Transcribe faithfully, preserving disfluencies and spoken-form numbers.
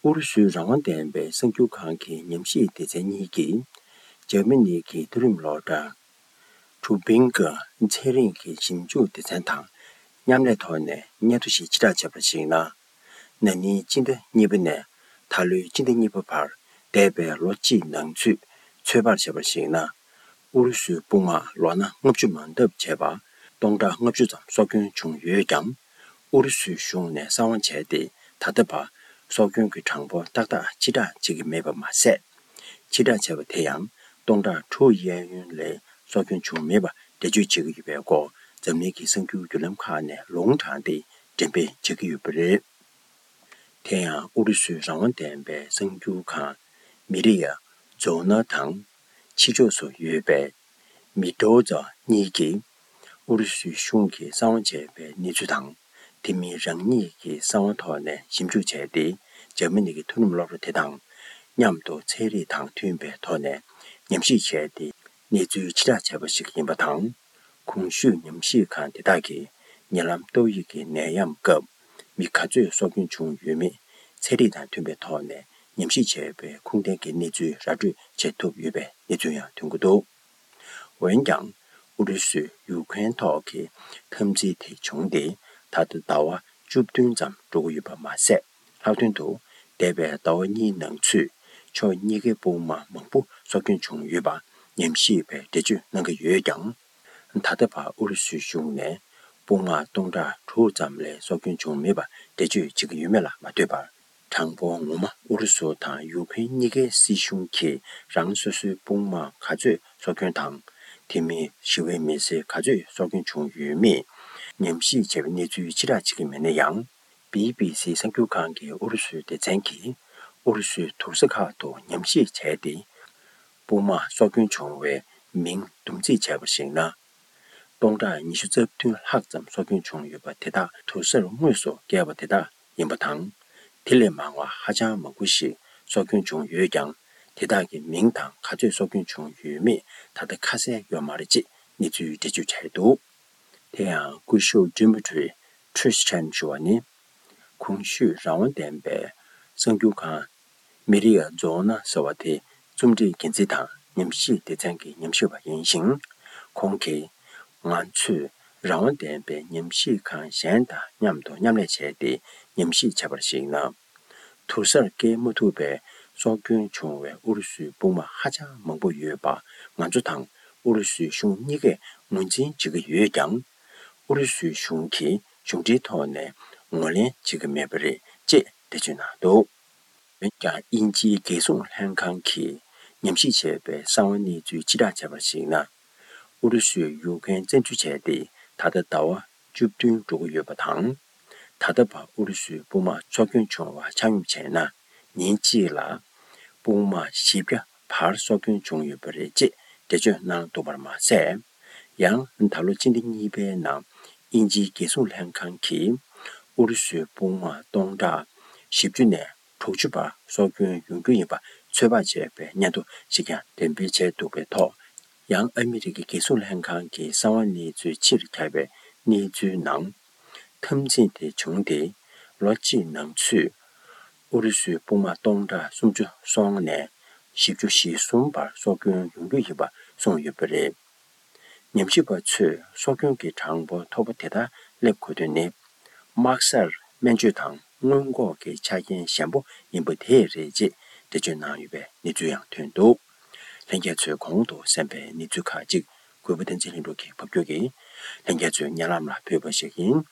ཨུ་རུ་སུའི་རང་དབང་ལྡན་པའི་གསར་འགྱུར་ཁང་གི་ཉམས་ཞིབ་སྡེ་ཚན་གཉིས་ཀྱིས། འཇར་མ་ནི་གི་མཐོ་རིམ་སློབ་གྲྭ་ཁྲུ་བིང་གི་ཚན་རིག་གི་ཞིབ་འཇུག་སྡེ་ཚན་དང་མཉམ་ལས་ཐོག་ནས་སྙན་ཐོ་ཞིག་ཕྱིར་བསྒྲགས་བྱས་པར་གཞིགས་ན། ན་ནིང་སྤྱི་ཟླ་གཉིས་པ་ནས་ད་ལོའི་སྤྱི་ཟླ་གཉིས་པ་བར་འདས་པའི་ལོ་གཅིག་ནང་ཚུད་ཚོད་དཔག་བྱས་པར་གཞིགས་ན། ཨུ་རུ་སུའི་དཔུང་དམག་ལོ་ན་ལྔ་བཅུ་མ་འདབ་བྱས་པ་སྟོང་ཕྲག་ལྔ་བཅུ་ཙམ་སྲོག་སྐྱོན་བྱུང་ཡོད་ཀྱང་། ཨུ་རུ་སུའི་གཞུང་ནས་གསང་བ་བྱས་ཏེ། ད་ལྟ་བར་སྲོག་སྐྱོན་གྱི་གྲངས་འབོར་ཏག་ཏག་ཕྱིར་བསྒྲགས་བྱེད་ཀྱི་མེད་པ་མ་ཟད། ཕྱིར་བསྒྲགས་བྱས་པ་དེ་ཡང་སྟོང་ཕྲག་དྲུག་གཡས་གཡོན་ལས་སྲོག་སྐྱོན་བྱུང་མེད་པ་འགྲེལ་བརྗོད་བྱེད་ཀྱི་ཡོད་པའི་སྐོར་འཛམ་གླིང་གི་གསར་འགྱུར་བརྒྱུད་ལམ་ཁག་ནས་ལུང་དྲངས་ཏེ་འགྲེམས་སྤེལ་བྱེད་ཀྱི་ཡོད་པ་རེད། དེ་ཡང་ཨུ་རུ་སུའི་རང་དབང་ལྡན་པའི་གསར་འགྱུར་ཁང་མི་རི་ཡ་རྫོང་ན་དང་ཕྱི་ཕྱོགས་སུ་ཡོད་པའི་མི་ཏོ་ཛ་གཉིས་ཀྱིས་ཨུ་རུ་སུའི་གཞུང་གིས་གསང་བ་བྱས་པའི་གནས་ཚུལ་དང་། དེ་མིན་རང་ཉིད་ཀྱི་གསང་བ་ཐོག་ནས་ཞིབ་འཇུག་བྱས་ཏེ། འཇར་མ་ནི་གི་མཐོ་རིམ་སློབ་གྲྭ་དེ་དང་མཉམ་དུ་ཚན་རིག་དང་མཐུན་པའི་ཐོག་ནས་ཉམས་ཞིབ་བྱས་ཏེ། གནས་ཚུལ་ཕྱིར་བསྒྲགས་བྱས་པ་ཞིག་ཡིན་པ་དང་། གོང་ཞུས་ཉམས་ཞིབ་ཁང་དེ་དག་གིས་ཉེ་ལམ་ཏོག་དབྱིབས་ཀྱི་ནད་ཡམས་སྐབས་མི་ག་ཚོད་སྲོག་སྐྱོན་བྱུང་ཡོད་མེད་ཚན་རིག་དང་མཐུན་པའི་ཐོག་ནས་ཉམས་ཞིབ་བྱས་པའི་ཁུངས་ལྡན་གྱི་གནས་ཚུལ་ར་སྤྲོད་བྱེད་ཐུབ་ཡོད་པའི་གནས་ཚུལ་ཡང་ཐོན་གྱི་འདུག་འོན་ཀྱང་། ཨུ་རུ་སུས་ཡུཀ་རེན་ཐོག་གི་འཐབ་འཛིང་དེ་བྱུང་སྟེ། ད་ལྟ་ཟླ་བ་བཅུ་བདུན་ཙམ་འགྲོ་གི་ཡོད་པ་མ་ཟད། ལྷག་དོན་དུ། འདས་པའི་ཟླ་བ་གཉིས་ནང་ཚུད་ཕྱོགས་གཉིས་ཀའི་དཔུང་དམག་མང་པོ་སྲོག་སྐྱོན་བྱུང་ཡོད་པ་ཉམས་ཞིབ་པས་འགྲེལ་བརྗོད་གནང་གི་ཡོད་ཀྱང་། ད་ལྟ་བར་ཨུ་རུ་སུའི་གཞུང་ནས་དཔུང་དམག་སྟོང་ཕྲག་དྲུག་ཙམ་ལས་སྲོག་སྐྱོན་བྱུང་མེད་པ་འགྲེལ་བརྗོད་བྱེད་ཀྱི་ཡོད་མེད་ལ་མ་ལྟོས་པར། གྲངས་འབོར་ངོ་མ་ཨུ་རུ་སུ་དང་ཡུཀ་རེན་གཉིས་ཀའི་སྲིད་གཞུང་གིས་རང་སོ་སོའི་དཔུང་དམག་ག་ཚོད་སྲོག་སྐྱོན་དང་། དེ་མིན་ཞི་བའི་མི་སེར་ག་ཚོད་སྲོག་སྐྱོན་བྱུང་ཡོད་མེད་ཉམས་ཞིབ་བྱས་པའི་གནས་ཚུལ་ཕྱིར་བསྒྲགས་བྱེད་ཀྱི་མེད་ན་ཡང་། བི་བི་སི་གསར་འགྱུར་ཁང་གི་ཨུ་རུ་སུའི་སྡེ་ཚན་གྱིས་ཨུ་རུ་སུའི་དུར་ས་ཁག་ཏུ་ཉམས་ཞིབ་བྱས་ཏེ། དཔུང་དམག་སྲོག་སྐྱོན་བྱུང་བའི་མིང་བསྡོམས་རྩིས་བྱས་པར་གཞིགས་ན། སྟོང་ཕྲག་ཉི་ཤུ་རྩ་བདུན་ལྷག་ཙམ་སྲོག་སྐྱོན་བྱུང་ཡོད་པ་དེ་དག་དུར་སར་དངོས་སུ་བསྐྱལ་བ་དེ་དག་ཡིན་པ་དང་། དེ་ལས་མང་བ་ཧ་ཅང་མང་པོ་ཞིག་སྲོག་སྐྱོན་བྱུང་ཡོད་ཀྱང་། དེ་དག་གི་མིང་དང་ག་ཚོད་སྲོག་སྐྱོན་བྱུང་ཡོད་མེད་ད་ལྟ་ཁ་གསལ་ཡོད་མ་རེད་ཅེས་གནས་ཚུལ་འགྲེལ་བརྗོད་བྱས་འདུག་དེ་ཡང་སྐུ་ཞབས་ཌི་མི་ཊི་རི་ཁྲིས་ཆན་ཞུ་བ་ནི། གོང་ཞུས་རང་དབང་ལྡན་པའི་གསར་འགྱུར་ཁང་མི་རི་ཡ་རྫོང་ན་ཟེར་བ་དེ་རྩོམ་སྒྲིག་འགན་འཛིན་དང་ཉམས་ཞིབ་སྡེ་ཚན་གྱི་ཉམས་ཞིབ་པ་ཡིན་ཞིང་། ཁོང་གིས། ང་ཚོས་རང་དབང་ལྡན་པའི་ཉམས་ཞིབ་ཁང་གཞན་དང་མཉམ་དུ་མཉམ་ལས་བྱས་ཏེ་ཉམས་ཞིབ་བྱས་པར་གཞིགས་ན། དུར་སར་བསྐྱལ་མ་ཐུབ་པའི་སྲོག་སྐྱོན་བྱུང་བའི་ཨུ་རུ་སུའི་དཔུང་དམག་ཧ་ཅང་མང་པོ་ཡོད་པ་ང་ཚོ་དང་ཨུ་རུ་སུའི་གཞུང་གཉིས་ཀས་ངོས་འཛིན་བྱེད་ཀྱི་ཡོད་ཀྱང་། ཨུ་རུ་སུའི་གཞུང་གིས་གཞུང་འབྲེལ་ཐོག་ནས་ངོས་ལེན་བྱེད་ཀྱི་མེད་པ་རེད་ཅེས་འགྲེལ་བརྗོད་གནང་འདུག་འོན་ཀྱང་། དབྱིན་ཇིའི་རྒྱལ་སྲུང་ལྷན་ཁང་གིས་ཉམས་ཞིབ་བྱས་པའི་གསང་བ་གནས་ཚུལ་ཕྱིར་བསྒྲགས་བྱས་པར་གཞིགས་ན། ཨུ་རུ་སུས་ཡུཀ་རེན་བཙན་འཛུལ་བྱས་ཏེ་ད་ལྟ་ཟླ་བ་བཅུ་བདུན་འགྲོ་གི་ཡོད་པ་དང་། ད་ལྟ་བར་ཨུ་རུ་སུའི་དཔུང་དམག་སྲོག་སྐྱོན་བྱུང་བ་ཆ་སྙོམས་བྱས་ན། ཉིན་གཅིག་ལ་དཔུང་དམག་བཞི་བརྒྱ་བར་སྲོག་སྐྱོན་བྱུང་ཡོད་པ་རེད་ཅེས་འགྲེལ་བརྗོད་གནང་འདུག་པར་མ་ཟད། ཡང་ད་ལོ་སྤྱི་ཟླ་གཉིས་པའི་ནང་དབྱིན་ཇིའི་རྒྱལ་སྲུང་ལྷན་ཁང་གིས་ཨུ་རུ་སུའི་དཔུང་དམག་སྟོང་ཕྲག་བཞི་བཅུ་ནས་དྲུག་ཅུ་བར་སྲོག་སྐྱོན་ཡོང་རྒྱུ་ཡིན་པ་ཚོད་དཔག་བྱས་པའི་སྙན་ཐོ་ཞིག་ཀྱང་འགྲེམས་སྤེལ་བྱས་འདུག་པའི་ཐོག་ཡང་ཨ་མི་རི་ཀའི་རྒྱལ་སྲུང་ལྷན་ཁང་གི་གསང་བ་གནས་ཚུལ་ཕྱིར་ཁྱབ་པའི་གནས་ཚུལ་ནང་། འཐབ་འཛིང་དེ་བྱུང་སྟེ་ལོ་གཅིག་ནང་ཚུད་ཨུ་རུ་སུའི་དཔུང་དམག་སྟོང་ཕྲག་སུམ་ཅུ་སོ་ལྔ་ནས་བཞི་བཅུ་ཞེ་གསུམ་བར་སྲོག་སྐྱོན་ཡོང་རྒྱུ་ཡིན་པ་གསུངས་ཡོད་པ་རེད། ཉམས་ཞིབ་པ་ཚོས་སྲོག་སྐྱོན་གྱི་གྲངས་འབོར་མཐོ་པོ་དེ་ལྟར་སླེབས་དགོས་དོན་ནི། དམག་སར་སྨན་བཅོས་དང་སྔོན་འགོག་གི་ཆ་རྐྱེན་ཞན་པོ་ཡིན་པ་དེས་རེད་ཅེས་འགྲེལ་བརྗོད་གནང་ཡོད་པའི་གནས་ཚུལ་ཡང་ཐོན་འདུག་ལྷན་རྒྱས་ཚོས་གོང་དུ་གསན་པའི་གནས་ཚུལ་ཁག་ཅིག་གུས་པ་བསྟན་འཛིན་ལྷུན་གྲུབ་ཀྱིས་ཕབ་སྒྱུར་གྱིས་ལྷན་རྒྱས་ཚོའི་སྙན་ལམ་ལ་ཕུལ་བ་ཞིག་ཡིན།